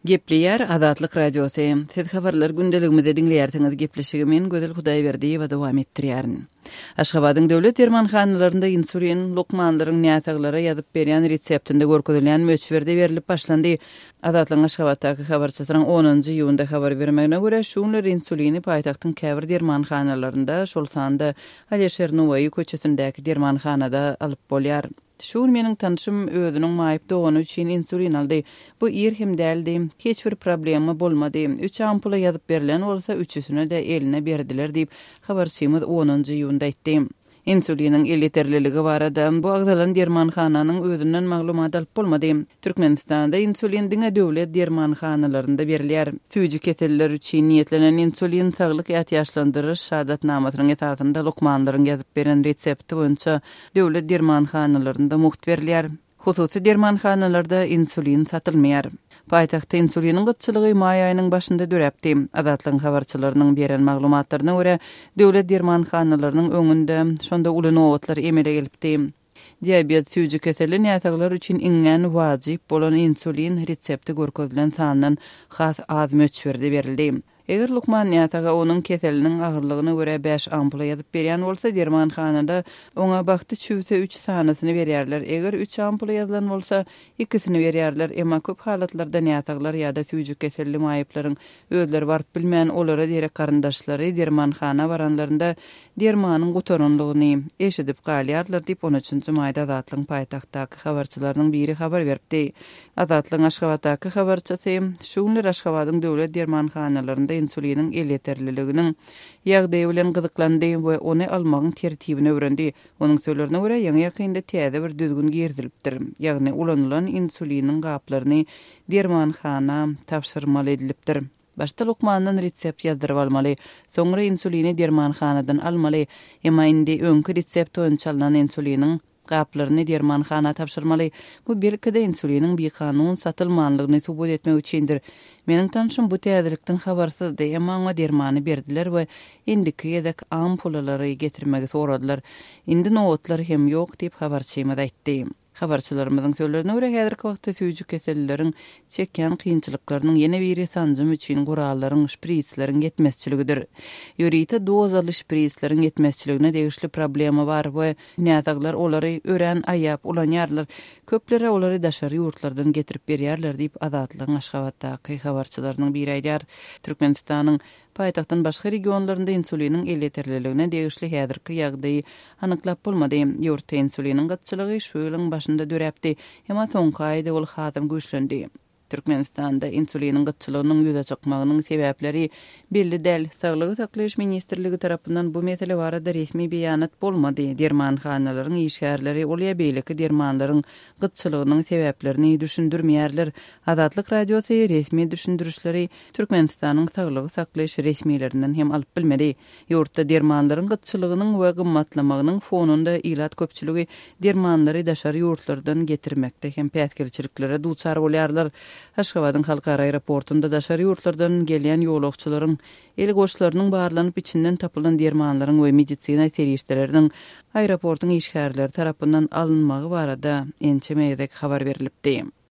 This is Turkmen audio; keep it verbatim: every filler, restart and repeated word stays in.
Gepleýär Azatlyk Radiosy. Siz habarlar gündeligimizi diňleýärsiňiz. Gepleşigi men Gözel Hudaýberdiýewa dowam etdirýärin. Aşgabadyň döwlet dermanhanalarynda insulin lukmanlaryň näsaglara ýazyp berýän reseptinde görkezilýän möçberde berlip başlandy. Azatlygyň Aşgabatdaky habarçysynyň onunjy iýunda habar bermegine görä, şu günler insulini paýtagtyň käbir dermanhanalarynda, şol sanda Alyşir Nowaýy köçesindäki dermanhanada alyp bolýar. Şu gün meniň tanşym özüniň maýyp dogany üçin insulin aldy. Bu ir hem däldi. Hiç bir problema bolmady. Üç ampula ýazyp berlen bolsa, üçüsine-de eline berdiler diýip, habarçymyz onunjy iýunda aýtdy. Insuliniň elýeterliligi barada bu agzalan dermanhananyň özünden maglumat alyp bolmady. Türkmenistanda insulin diňe döwlet dermanhanalarynda berilýär. Süýji keseller üçin niýetlenen insulin saglyk ätiýaçlandyryş şahadatnamasynyň esasynda lukmanlaryň ýazyp beren resepti boýunça döwlet dermanhanalarynda mugt berilýär. Hususy dermanhanalarda insulin satylmaýar. Paýtagtda insuliniň gytçylygy maý aýynyň başynda döräpdi. Azatlygyň habarçylarynyň beren maglumatlaryna görä, döwlet dermanhanalarynyň öňünde şonda uly nobatlar emele gelipdi. Diabet süýji keselli näsaglar üçin iňňän wajyp bolan insulin resepti görkezilen sandan has az möçberde berildi. Eger lukman näsaga onuň keseliniň agyrlygyna görä bäş ampula ýazyp berýän bolsa, dermanhanada oňa bagty çüwse üç sanysyny berýärler. Eger üç ampula ýazylan bolsa, ikisini berýärler. Emma köp halatlarda näsaglar ýa-da süýji keselli maýyplaryň özleri baryp bilmän, olara derek garyndaşlary dermanhana baranlarynda dermanyň gutaranlygyny eşidip galýarlar diýip, on üçünji maýda Azatlygyň paýtagtdaky habarçylarynyň biri habar beripdi. Azatlygyň Aşgabatdaky habarçysy şu günler Aşgabadyň döwlet dermanhanalarynda insuliniň elýeterliliginiň ýagdaýy bilen gyzyklandy we ony almagyň tertibini öwrendi. Onuň sözlerine görä, ýaňy-ýakynda täze bir düzgün girizilipdir. Ýagny ulanylan insuliniň gaplaryny dermanhana tabşyrmaly edilipdir. Başda lukmandan resept ýazdyryp almaly, soňra insulini dermanhanadan almaly. Emma indi öňki resept boýunça alnan insuliniň gaplaryny dermanhana tabşyrmaly. Bu belki-de insuliniň bikanun satylmanlygyny subut etmek üçindir. Meniň tanşym bu täzelikden habarsyzdy, emma oňa dermany berdiler we indiki gezek ampulalary getirmegi soradylar. Indi nobatlar hem ýok diýip habarçymyz aýtdy. Habarçylarymyzyň sözlerine görä, häzirki wagtda süýji kesellileriň çekýän kynçylyklarynyň ýene biri sanjym üçin gurallaryň, şpritsleriň ýetmezçiligidir. Ýörite dozaly şpritsleriň ýetmezçiligine degişli problema bar we näsaglar olary örän aýap ulanýarlar. Köplere olary daşary ýurtlardan getirip berýärler diýip Azatlygyň Aşgabatdaky habarçylarynyň biri aýdýar. Türkmenistanyň paýtagtdan başga regionlarynda insuliniň elýeterliligine degişli häzirki ýagdaýy anyklap bolmady. Ýurtda insuliniň gytçylygy şu ýylyň başynda döräpdi, emma soňky aýda ol hasam güýçlendi. Türkmenistanda insuliniň gytçylygynyň ýüze çykmagynyň sebäpleri belli däl. Saglygy saklaýyş ministrligi tarapyndan bu mesele barada resmi beýanat bolmady. Dermanhanalaryň işgärleri ol ýa beýleki dermanlaryň gytçylygynyň sebäplerini düşündirmeýärler. Azatlyk Radiosy resmi düşündirişleri Türkmenistanyň saglygy saklaýyş resmilerinden hem alyp bilmedi. Ýurtda dermanlaryň gytçylygynyň we gymmatlamagynyň fonunda ilat köpçüligi dermanlary daşary ýurtlardan getirmekde hem päsgelçiliklere duçar bolýarlar. Aşgabadyň halkara aeroportunda daşary ýurtlardan gelýän ýolagçylaryň el goşlarynyň barlanyp içinden tapylan dermanlaryň we medisina serişdeleriniň aeroportuň işgärleri tarapyndan alynmagy barada ençeme gezek habar berilipdi.